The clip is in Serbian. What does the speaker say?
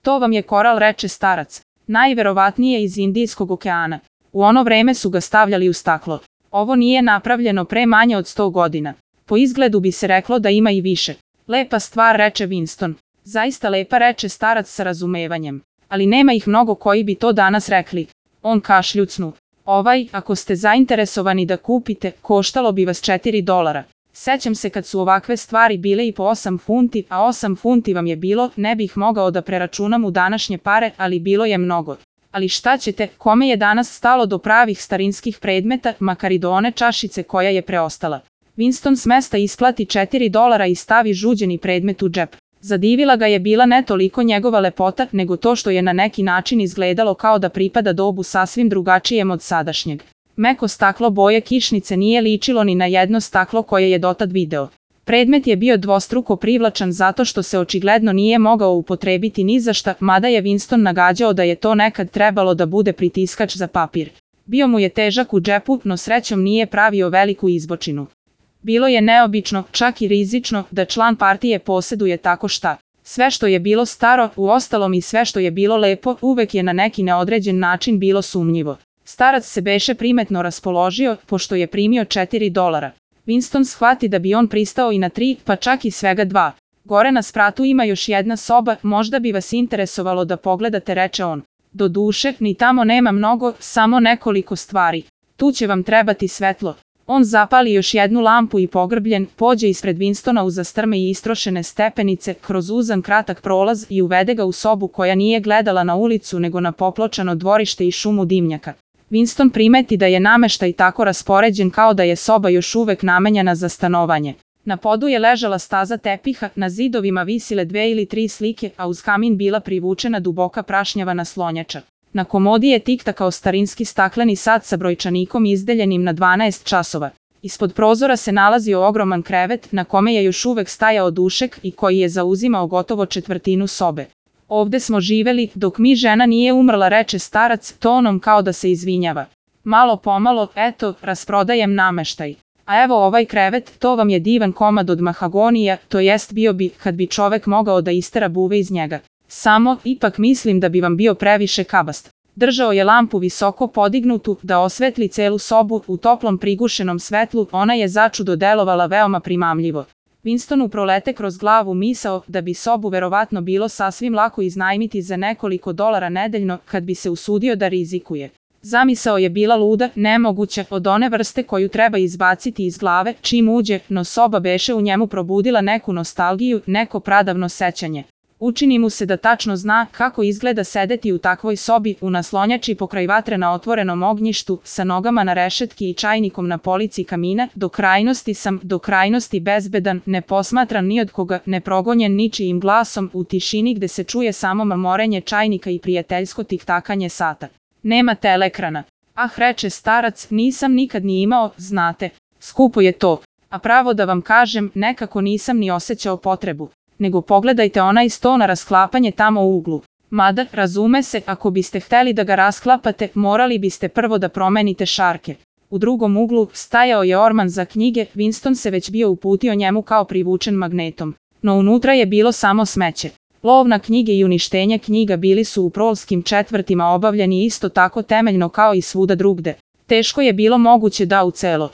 To vam je koral, reče starac. Najverovatnije iz Indijskog okeana. U ono vreme su ga stavljali u staklo. Ovo nije napravljeno pre manje od 100 godina. Po izgledu bi se reklo da ima i više. Lepa stvar, reče Winston. Zaista lepa, reče starac sa razumevanjem. Ali nema ih mnogo koji bi to danas rekli. On kašljucnu. Ako ste zainteresovani da kupite, koštalo bi vas $4. Sećam se kad su ovakve stvari bile i po 8 funti, a 8 funti vam je bilo, ne bih mogao da preračunam u današnje pare, ali bilo je mnogo. Ali šta ćete, kome je danas stalo do pravih starinskih predmeta, makar i do one čašice koja je preostala. Winston s mesta isplati $4 i stavi žuđeni predmet u džep. Zadivila ga je bila ne toliko njegova lepota, nego to što je na neki način izgledalo kao da pripada dobu sasvim drugačijem od sadašnjeg. Meko staklo boje kišnice nije ličilo ni na jedno staklo koje je dotad video. Predmet je bio dvostruko privlačan zato što se očigledno nije mogao upotrebiti ni za šta, mada je Winston nagađao da je to nekad trebalo da bude pritiskač za papir. Bio mu je težak u džepu, no srećom nije pravio veliku izbočinu. Bilo je neobično, čak i rizično, da član partije posjeduje tako šta. Sve što je bilo staro, uostalom i sve što je bilo lepo, uvek je na neki neodređen način bilo sumnjivo. Starac se beše primetno raspoložio, pošto je primio $4. Winston shvati da bi on pristao i na 3, pa čak i svega 2. Gore na spratu ima još jedna soba, možda bi vas interesovalo da pogledate, reče on. Doduše, ni tamo nema mnogo, samo nekoliko stvari. Tu će vam trebati svetlo. On zapali još jednu lampu i pogrbljen, pođe ispred Winstona uza strme i istrošene stepenice, kroz uzan kratak prolaz i uvede ga u sobu koja nije gledala na ulicu nego na popločano dvorište i šumu dimnjaka. Winston primeti da je nameštaj tako raspoređen kao da je soba još uvek namenjena za stanovanje. Na podu je ležala staza tepiha, na zidovima visile 2 ili 3 slike, a uz kamin bila privučena duboka prašnjava naslonjača. Na komodi je tiktakao starinski stakleni sat sa brojčanikom izdeljenim na 12 časova. Ispod prozora se nalazio ogroman krevet na kome je još uvek stajao dušek i koji je zauzimao gotovo četvrtinu sobe. Ovde smo živeli, dok mi žena nije umrla, reče starac, tonom kao da se izvinjava. Malo pomalo, eto, rasprodajem nameštaj. A evo ovaj krevet, to vam je divan komad od mahagonija, to jest bio bi, kad bi čovek mogao da istera buve iz njega. Samo, ipak mislim da bi vam bio previše kabast. Držao je lampu visoko podignutu, da osvetli celu sobu, u toplom prigušenom svetlu, ona je začudo delovala veoma primamljivo. Winstonu prolete kroz glavu misao da bi sobu verovatno bilo sasvim lako iznajmiti za nekoliko $, nedeljno, kad bi se usudio da rizikuje. Zamisao je bila luda, nemoguća, od one vrste koju treba izbaciti iz glave, čim uđe, no soba beše u njemu probudila neku nostalgiju, neko pradavno sećanje. Učini mu se da tačno zna kako izgleda sedeti u takvoj sobi, u naslonjači pokraj vatre na otvorenom ognjištu, sa nogama na rešetki i čajnikom na polici kamina, do krajnosti sam, do krajnosti bezbedan, ne posmatran ni od koga, ne progonjen ničijim glasom, u tišini gde se čuje samo mamorenje čajnika i prijateljsko tiktakanje sata. Nema teleekrana. Ah, reče starac, nisam nikad ni imao, znate. Skupo je to. A pravo da vam kažem, nekako nisam ni osjećao potrebu. Nego pogledajte onaj sto na rasklapanje tamo u uglu. Mada, razume se, ako biste hteli da ga rasklapate, morali biste prvo da promenite šarke. U drugom uglu stajao je orman za knjige, Winston se već bio uputio njemu kao privučen magnetom. No unutra je bilo samo smeće. Lov na knjige i uništenje knjiga bili su u prolskim četvrtima obavljeni isto tako temeljno kao i svuda drugde. Teško je bilo moguće da u celo